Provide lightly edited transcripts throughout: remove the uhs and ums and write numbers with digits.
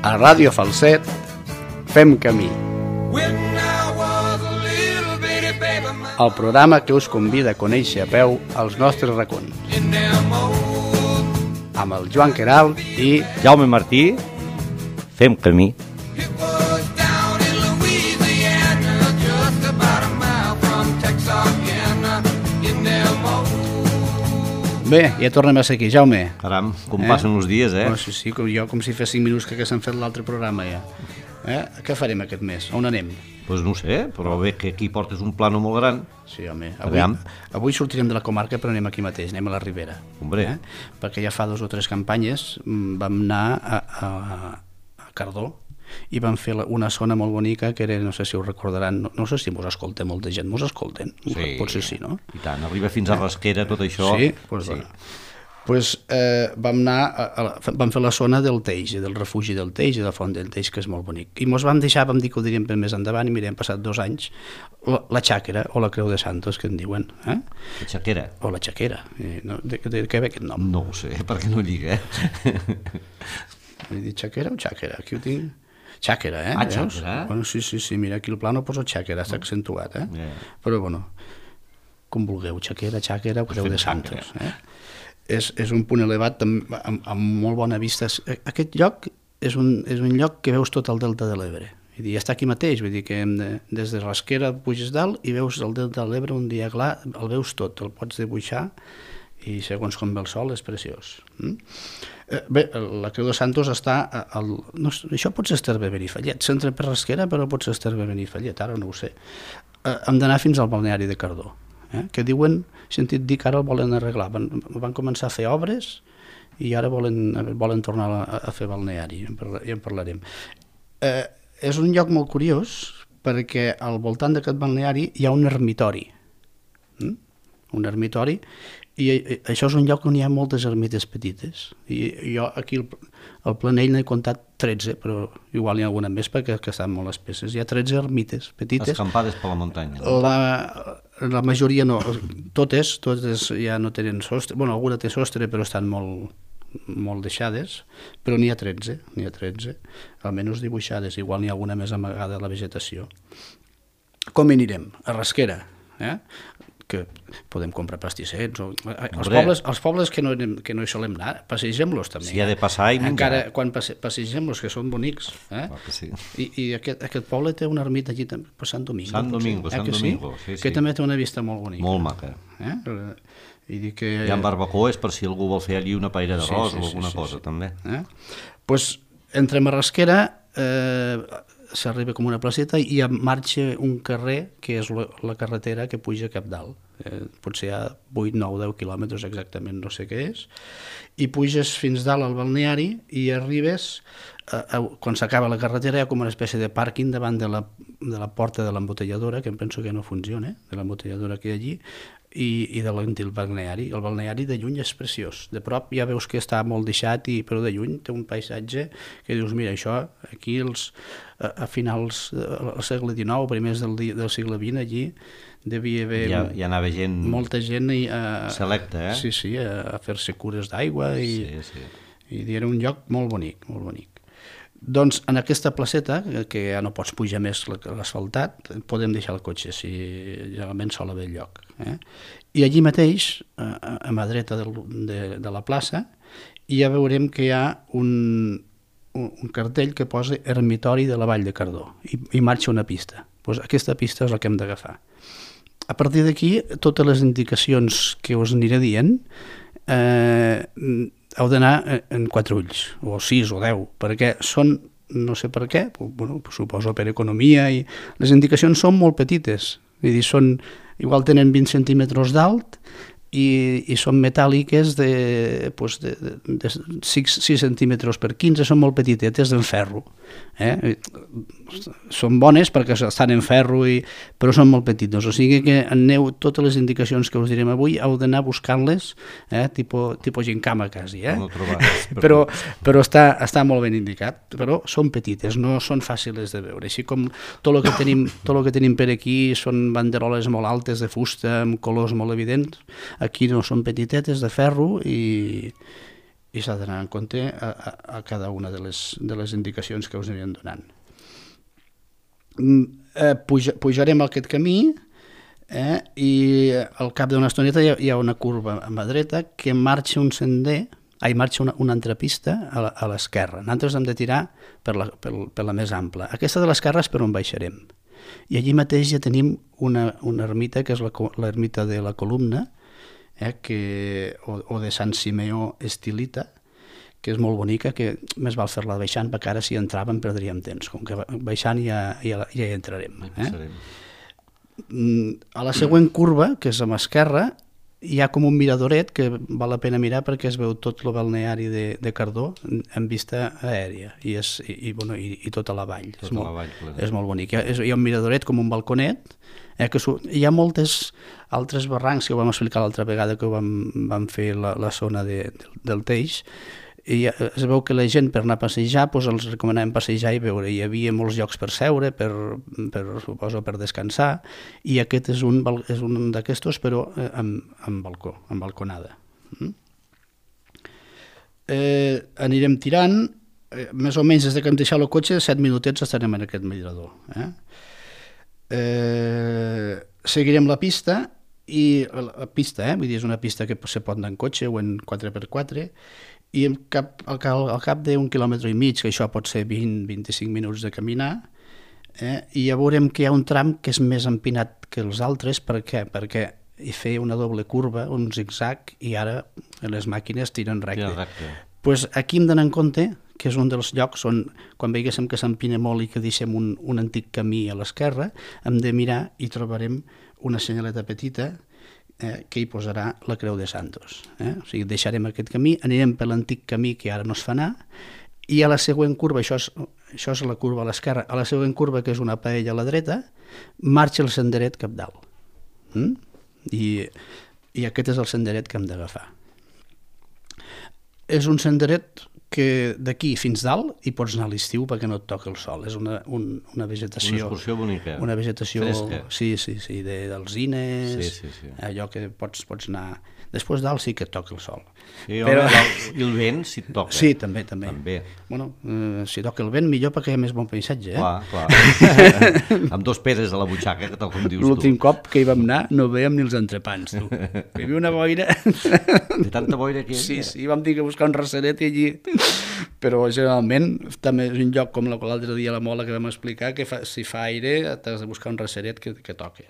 A Ràdio Falset fem camí. El programa que us convida a conèixer a peu els nostres racons. Amb el Joan Queralt i Jaume Martí, fem camí. Bé, ja tornem a ser aquí, Jaume. Caram, com passen els dies, eh? Oh, sí, com si fa 5 minuts que s'han fet l'altre programa ja. Què farem aquest mes? On anem? Doncs no sé, però bé que aquí portes un plano molt gran. Sí, home, Aviam. avui sortirem de la comarca però anem aquí mateix, anem a la Ribera. Hombre. Perquè ja fa 2 o 3 campanyes vam anar a Cardó i vam fer una zona molt bonica que era, no sé si us recordaran, no sé si mos escolta molta gent, mos escolten? Sí, potser sí, no? I tant, arriba fins a Rasquera, tot això. Sí? Doncs sí. Vam fer la zona del Teix, del refugi del Teix i de la font del Teix, que és molt bonic. I mos vam deixar, vam dir que ho diríem per més endavant, i mira, hem passat 2 anys, la Xàquera o la Creu de Santos, que en diuen. La Xaquera. O la Xaquera. De què ve aquest nom? No ho sé, perquè no lliga, He dit Xaquera o Xàquera? Aquí ho tinc... Xàquera, Ah, Xàquera? Bueno, sí, mira, aquí el plano posa Xàquera, està accentuat, Però, bueno, com vulgueu, Xàquera, Creu de Santos, És un punt elevat amb molt bona vista. Aquest lloc és un lloc que veus tot el delta de l'Ebre. I està aquí mateix, vull dir que des de Rasquera puges dalt i veus el delta de l'Ebre un dia clar, el veus tot, el pots dibuixar i segons com ve el sol és preciós. Bé, la Creu de Santos està... això pot ser Esterbe Benifallet, s'entra per Rasquera però pot ser Esterbe Benifallet, ara no ho sé. Hem d'anar fins al balneari de Cardó, que diuen, he sentit dir que ara el volen arreglar, van començar a fer obres i ara volen tornar a fer balneari, ja en parlarem. És un lloc molt curiós perquè al voltant d'aquest balneari hi ha un ermitori, i això és un lloc on hi ha moltes ermites petites, i jo aquí al Planell n'he comptat 13, però igual hi ha alguna més perquè estan molt espesses. Hi ha 13 ermites petites. Escampades per la muntanya. La majoria no, totes ja no tenen sostre, bueno, alguna té sostre però estan molt deixades, però n'hi ha 13, almenys dibuixades, igual n'hi ha alguna més amagada a la vegetació. Com hi anirem? A Rasquera, que podem comprar pastissets, els pobles que no hi solem anar, passegem-los també. Si ha de passar i menjar. Encara quan passegem-los, que són bonics. Sí. I aquest poble té una ermita allí també, per Sant Domingo. Sant Domingo, sí. Que també té una vista molt bonica. Molt maca. I hi ha barbacoes per si algú vol fer allí una paella d'arròs o alguna cosa, també. Doncs entrem a Rasquera, s'arriba com una placeta i marxa un carrer que és la carretera que puja cap dalt, potser hi ha 8, 9, 10 quilòmetres exactament, no sé què és, i puges fins dalt al balneari i arribes, quan s'acaba la carretera hi ha com una espècie de pàrquing davant de la porta de l'embotelladora, que em penso que no funciona, de l'embotelladora que hi ha allí, i de l'antic balneari. El balneari de lluny és preciós, de prop ja veus que està molt deixat, però de lluny té un paisatge que dius, mira, això aquí a finals del segle XIX, primers del segle XX, allí devia haver hi anava gent, molta gent selecta, sí, a fer-se cures d'aigua i era un lloc molt bonic, molt bonic. Doncs en aquesta placeta, que ja no pots pujar més l'asfaltat, podem deixar el cotxe, si generalment sol haver lloc. I allí mateix, a mà dreta de la plaça, ja veurem que hi ha un cartell que posa Ermitori de la Vall de Cardó, i marxa una pista. Doncs aquesta pista és la que hem d'agafar. A partir d'aquí, totes les indicacions que us aniré dient, heu d'anar en 4 ulls, o 6 o 10, perquè són, no sé per què, suposo per economia, i les indicacions són molt petites, vull dir, igual tenen 20 centímetres d'alt i són metàl·liques de 6 centímetres per 15, són molt petitetes en ferro. Són bones perquè estan en ferro, però són molt petites, o sigui que aneu, totes les indicacions que us direm avui heu d'anar buscant-les, tipus gincama quasi, però està molt ben indicat, però són petites, no són fàcils de veure, així com tot el que tenim per aquí són banderoles molt altes de fusta amb colors molt evidents. Aquí no, són petitetes de ferro i i s'ha d'anar en compte a cada una de les indicacions que us anirem donant. Pujarem aquest camí i al cap d'una estoneta hi ha una curva a mà dreta que marxa un sender, marxa una altra pista a l'esquerra. Nosaltres hem de tirar per la més ampla. Aquesta de l'esquerra és per on baixarem. I allí mateix ja tenim una ermita, que és l'ermita de la Columna, o de Sant Simeó Estilita, que és molt bonica, que més val fer-la baixant, perquè ara si entràvem perdríem temps, com que baixant ja hi entrarem. A la següent curva, que és a mà esquerra, hi ha com un miradoret que val la pena mirar perquè es veu tot el balneari de Cardó en vista aèria i tota la vall. És molt bonic. Hi ha un miradoret com un balconet, hi ha moltes altres barrancs que ho vam explicar l'altra vegada que vam fer la zona del Teix, i es veu que la gent per anar a passejar els recomanàvem passejar i veure. Hi havia molts llocs per seure, suposo per descansar, i aquest és un d'aquestos, però amb balcó, amb balconada. Anirem tirant, més o menys des que hem deixat el cotxe, 7 minutets estarem en aquest mirador. Seguirem la pista, i la pista, vull dir, és una pista que se pot anar en cotxe o en 4x4, i al cap d'un quilòmetre i mig, que això pot ser 20-25 minuts de caminar, i ja veurem que hi ha un tram que és més empinat que els altres. Per què? Perquè hi feia una doble curva, un zigzag, i ara les màquines tiren recte. Aquí hem d'anar en compte que és un dels llocs on, quan veiéssim que s'empina molt i que deixem un antic camí a l'esquerra, hem de mirar i trobarem una senyaleta petita que hi posarà la Creu de Santos. O sigui, deixarem aquest camí, anirem per l'antic camí que ara no es fa anar, i a la següent curva, això és la curva a l'esquerra, a la següent curva, que és una paella a la dreta, marxa el senderet cap dalt. I aquest és el senderet que hem d'agafar. És un senderet que d'aquí fins dalt hi pots anar a l'estiu perquè no et toca el sol. És una vegetació... Una excursió bonica. Una vegetació... Fresca. Sí, d'alzines, allò que pots anar... Després dalt sí que et toca el sol. I el vent, si et toca. Sí, també. Bueno, si toca el vent, millor perquè hi ha més bon paisatge. Clar. Amb 2 pedres a la butxaca, que tal com dius tu. L'últim cop que hi vam anar no veiem ni els entrepans, tu. Hi havia una boira... De tanta boira que hi havia. Sí, vam dir que buscar un receret i allí... Però generalment també és un lloc com l'altre dia a la Mola que vam explicar, que si fa aire t'has de buscar un receret que toqui.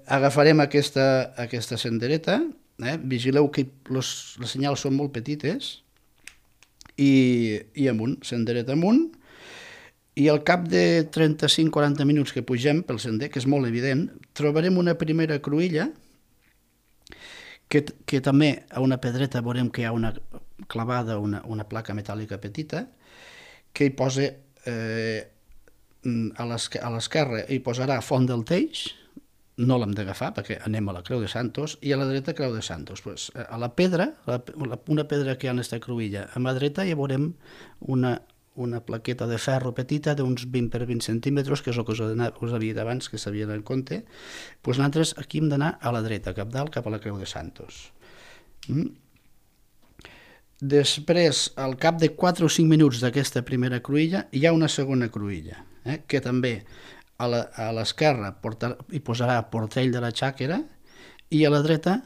Agafarem aquesta sendereta, vigileu que les senyals són molt petites, i amunt, sendereta amunt, i al cap de 35-40 minuts que pugem pel sender, que és molt evident, trobarem una primera cruïlla que també a una pedreta veurem que hi ha una clavada, una placa metàl·lica petita, que hi posa a l'esquerra hi posarà Font del Teix, no l'hem d'agafar perquè anem a la Creu de Santos, i a la dreta Creu de Santos. A la pedra, una pedra que hi ha en aquesta cruïlla, a mà dreta hi veurem una plaqueta de ferro petita d'uns 20 per 20 centímetres, que és el que us havia dit abans, que s'havia d'anar en compte. Nosaltres aquí hem d'anar a la dreta, cap dalt, cap a la Creu de Santos. Després, al cap de 4 o 5 minuts d'aquesta primera cruïlla, hi ha una segona cruïlla, que també a l'esquerra hi posarà Portell de la Xàquera, i a la dreta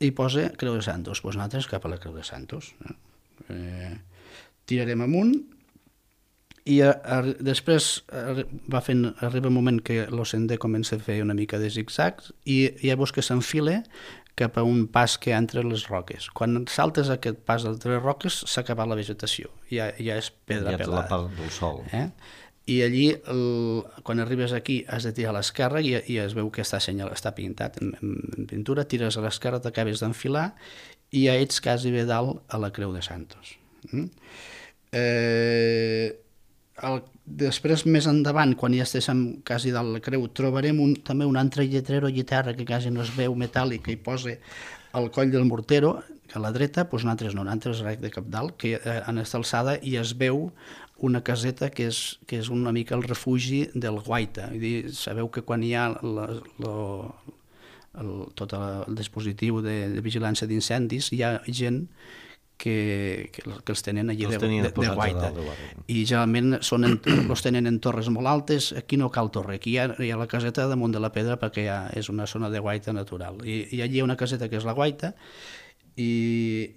hi posa Creu de Santos. Nosaltres cap a la Creu de Santos. Tirarem amunt, i després arriba un moment que el sender comença a fer una mica de zigzags, i llavors que s'enfila cap a un pas que hi ha entre les roques. Quan saltes aquest pas entre les roques s'ha acabat la vegetació, ja és pedra pelada. Ja ets la part del sol. I allí, quan arribes aquí, has de tirar a l'esquerra i es veu que està pintat en pintura, tires a l'esquerra, t'acabes d'enfilar i ja ets quasi bé dalt a la Creu de Santos. Després, més endavant, quan ja estiguem quasi dalt la creu, trobarem també un altre lletrero lliterra que quasi no es veu, metàl·lic, que hi posa el coll del mortero, a la dreta, nosaltres rec de cap dalt, que en aquesta alçada hi es veu una caseta que és una mica el refugi del guaita. Sabeu que quan hi ha tot el dispositiu de vigilància d'incendis, hi ha gent que els tenen allí de guaita. de guaita. I generalment els tenen en torres molt altes. Aquí no cal torre, aquí hi ha la caseta damunt de la pedra perquè és una zona de guaita natural. I allí hi ha una caseta que és la guaita i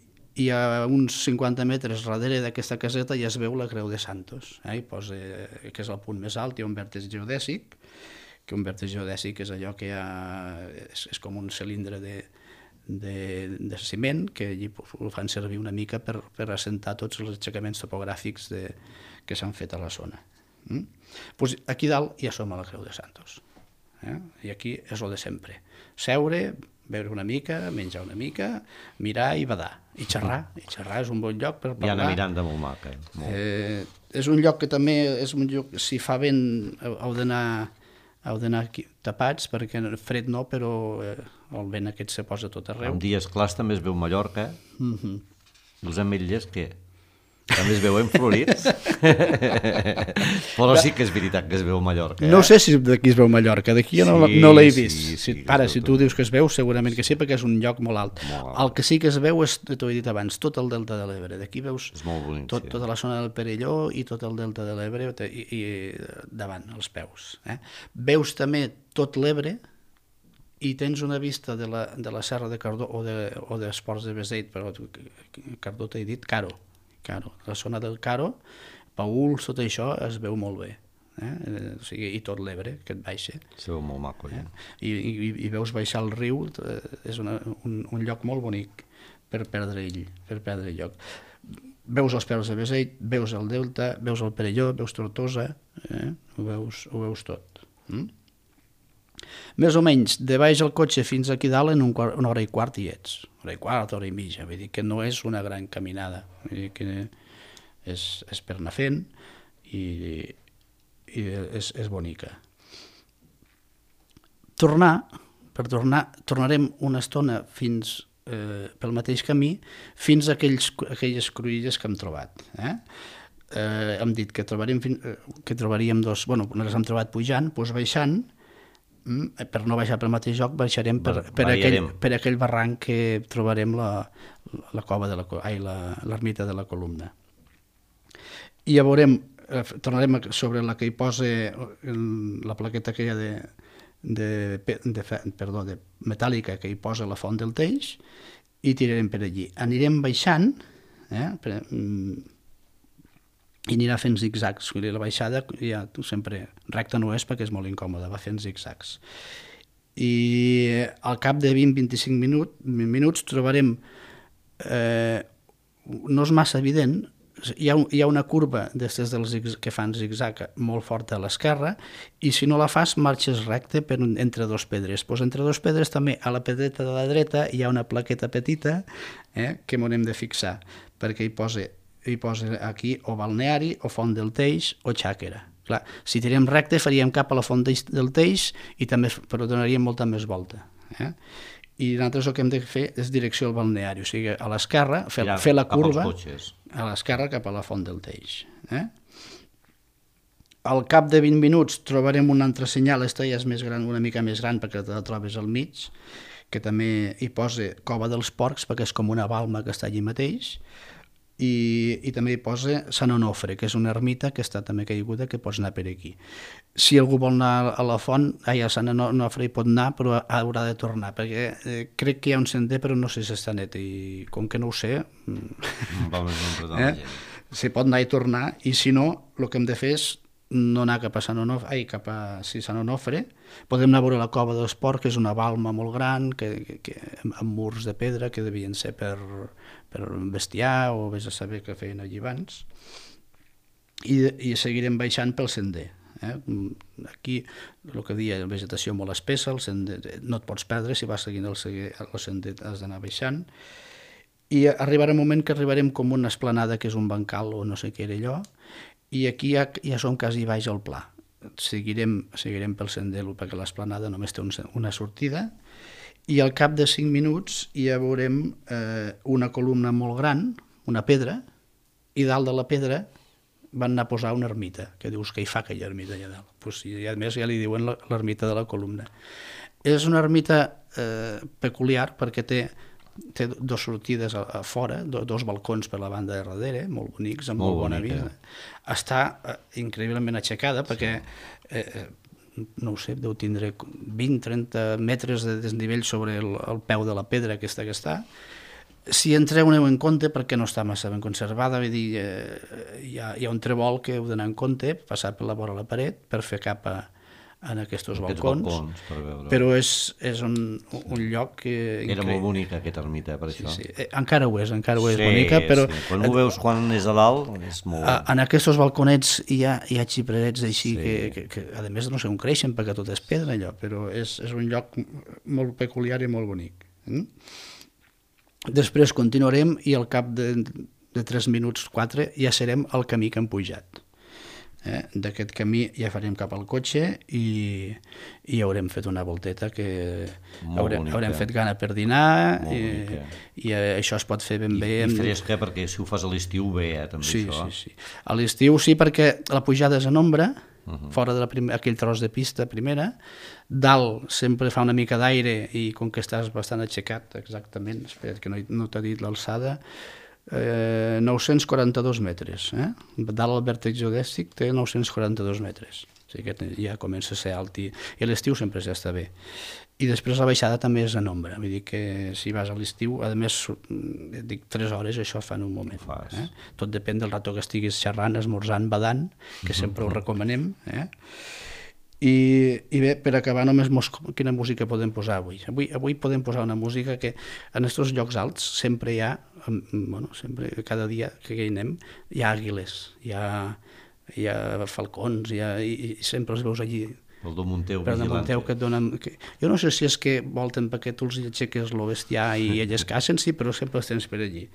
a uns 50 metres darrere d'aquesta caseta ja es veu la Creu de Santos, que és el punt més alt, hi ha un vèrtex geodèsic, que un vèrtex geodèsic és allò que és com un cilindre de ciment, que allí ho fan servir una mica per assentar tots els aixecaments topogràfics que s'han fet a la zona. Aquí dalt ja som a la Creu de Santos, i aquí és el de sempre: seure, beure una mica, menjar una mica, mirar i badar, i xerrar. I xerrar és un bon lloc per parlar. Hi ha una Miranda molt maca. És un lloc que també és un lloc, si fa vent heu d'anar tapats, perquè fred no, però el vent aquest se posa tot arreu. En dies clars també es veu Mallorca. Els ametllers, què? També es veuen florits? Però sí que és veritat que es veu Mallorca. No sé si d'aquí es veu Mallorca, d'aquí no l'he vist. Si tu dius que es veu, segurament que sí, perquè és un lloc molt alt. El que sí que es veu és, t'ho he dit abans, tot el delta de l'Ebre. D'aquí veus tota la zona del Perelló i tot el delta de l'Ebre i davant, als peus. Veus també tot l'Ebre i tens una vista de la serra de Cardó o dels Ports de Beseit, però Cardó t'he dit, Caro, la zona del Caro, Paül, tot això es veu molt bé, i tot l'Ebre que et baixa. Es veu molt maco, ja. I veus baixar el riu, és un lloc molt bonic per perdre lloc. Veus els Ports de Beseit, veus el Delta, veus el Perelló, veus Tortosa, ho veus tot. Més o menys, de baix al cotxe fins aquí dalt en una hora i quart hi ets. Hora i quart, hora i mitja. Vull dir que no és una gran caminada. Vull dir que és per anar fent i és bonica. Tornarem una estona pel mateix camí fins a aquelles cruïlles que hem trobat. Hem dit que trobaríem dos... Bueno, les hem trobat pujant, doncs baixant, per no baixar pel mateix lloc, baixarem per aquell barranc que trobarem la cova l'ermita de la Columna. I ja veurem, tornarem sobre la que hi posa la plaqueta aquella de metàl·lica que hi posa la font del Teix i tirarem per allí. Anirem baixant, i anirà fent zigzags. La baixada ja sempre recta no és perquè és molt incòmode, va fent zigzags. I al cap de 20-25 minuts trobarem, no és massa evident, hi ha una curva d'aquestes que fan zigzag molt forta a l'esquerra i si no la fas marxes recte entre dos pedres. Entre dos pedres també a la pedreta de la dreta hi ha una plaqueta petita que m'haurem de fixar perquè hi posa aquí o balneari, o font del Teix, o xàquera. Clar, si tirem recte faríem cap a la font del Teix i també donaríem molta més volta. I nosaltres el que hem de fer és direcció al balneari, o sigui, a l'esquerra, fer la curva a l'esquerra cap a la font del Teix. Al cap de 20 minuts trobarem un altre senyal, aquesta ja és més gran, una mica més gran perquè te la trobes al mig, que també hi posa Cova dels Porcs perquè és com una balma que està allí mateix, i també hi posa Sant Onofre, que és una ermita que està també caiguda, que pots anar per aquí. Si algú vol anar a la font, a Sant Onofre hi pot anar, però haurà de tornar, perquè crec que hi ha un sender, però no sé si està net, i com que no ho sé, s'hi pot anar i tornar, i si no, el que hem de fer és no anar cap a Sant Onofre, podem anar a veure la Cova dels Porcs, que és una balma molt gran, amb murs de pedra, que devien ser per bestiar, o vés a saber què feien allí abans, i seguirem baixant pel sender. Aquí, el que deia, la vegetació molt espessa, el sender no et pots perdre, si vas seguint el sender has d'anar baixant, i arribarà un moment que arribarem com una esplanada, que és un bancal o no sé què era allò, i aquí ja som quasi baix al pla. Seguirem pel sender perquè l'esplanada només té una sortida i al cap de 5 minuts ja veurem una columna molt gran, una pedra, i dalt de la pedra van anar a posar una ermita, que dius que hi fa aquella ermita allà dalt. I a més ja li diuen l'ermita de la Columna. És una ermita peculiar perquè té té dues sortides a fora, dos balcons per la banda de darrere, molt bonics, amb molt bona vida. Està increïblement aixecada perquè, no ho sé, deu tindre 20-30 metres de desnivell sobre el peu de la pedra aquesta que està. Si entreu aneu en compte perquè no està massa ben conservada, vull dir, hi ha un trebol que heu d'anar en compte, passar per la vora de la paret per fer cap en aquests balcons, però és un lloc increïble. Era molt bonica aquesta ermita, per això. Sí. Encara ho és bonica, però... Quan ho veus quan és a dalt, és molt... En aquests balconets hi ha xiprerets així que a més no sé on creixen perquè tot és pedra allò, però és un lloc molt peculiar i molt bonic. Després continuarem i al cap de 3 minuts, 4, ja serem al camí que hem pujat. D'aquest camí ja farem cap al cotxe i haurem fet una volteta que haurem fet gana per dinar i això es pot fer ben bé. I fresca, perquè si ho fas a l'estiu bé, també això. Sí. A l'estiu sí, perquè la pujada és en ombra, fora d'aquell tros de pista primera, dalt sempre fa una mica d'aire i com que estàs bastant aixecat, exactament, espera't que no t'ha dit l'alçada, 942 metres. Dalt el vèrtex geodèstic té 942 metres. O sigui que ja comença a ser alt i a l'estiu sempre s'està bé. I després la baixada també és en ombra. Vull dir que si vas a l'estiu, a més, dic 3 hores, això fa en un moment. Tot depèn del rato que estiguis xerrant, esmorzant, badant, que sempre ho recomanem. I bé, per acabar només quina música podem posar avui? Avui podem posar una música que en aquests llocs alts sempre hi ha, sempre, cada dia que hi anem, hi ha àguiles, hi ha falcons, i sempre els veus allí. El de Monteu, Monteu que et donen... Jo no sé si és que volten perquè tu els aixeques el bestiar i elles cacen, sí, però sempre els tens per allí.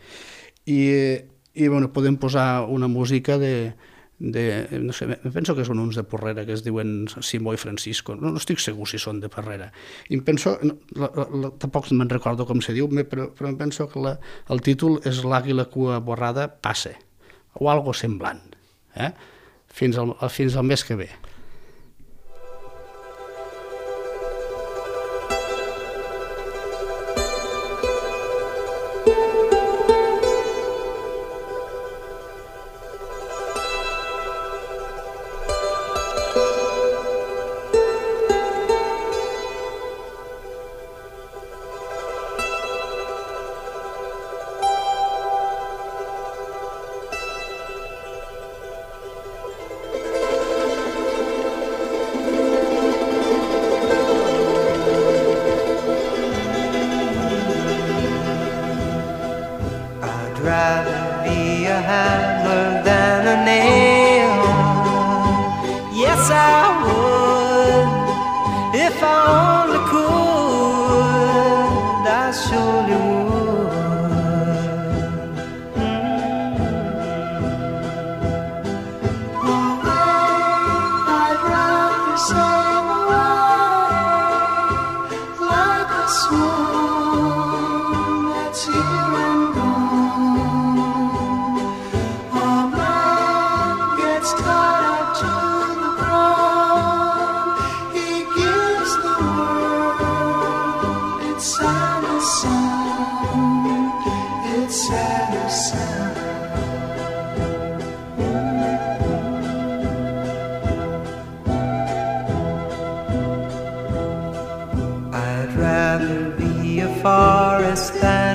I podem posar una música no sé, penso que són uns de Porrera que es diuen Simó i Francisco, no estic segur si són de Porrera, i em penso, tampoc me'n recordo com se diu, però em penso que el títol és L'àguila cua borrada passe, o algo semblant, fins al mes que ve.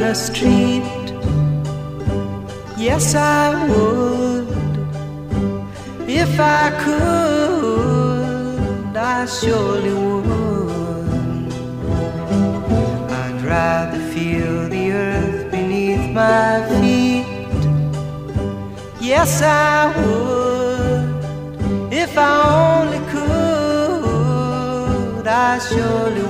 Street, yes I would, if I could, I surely would. I'd rather feel the earth beneath my feet, yes I would, if I only could, I surely would.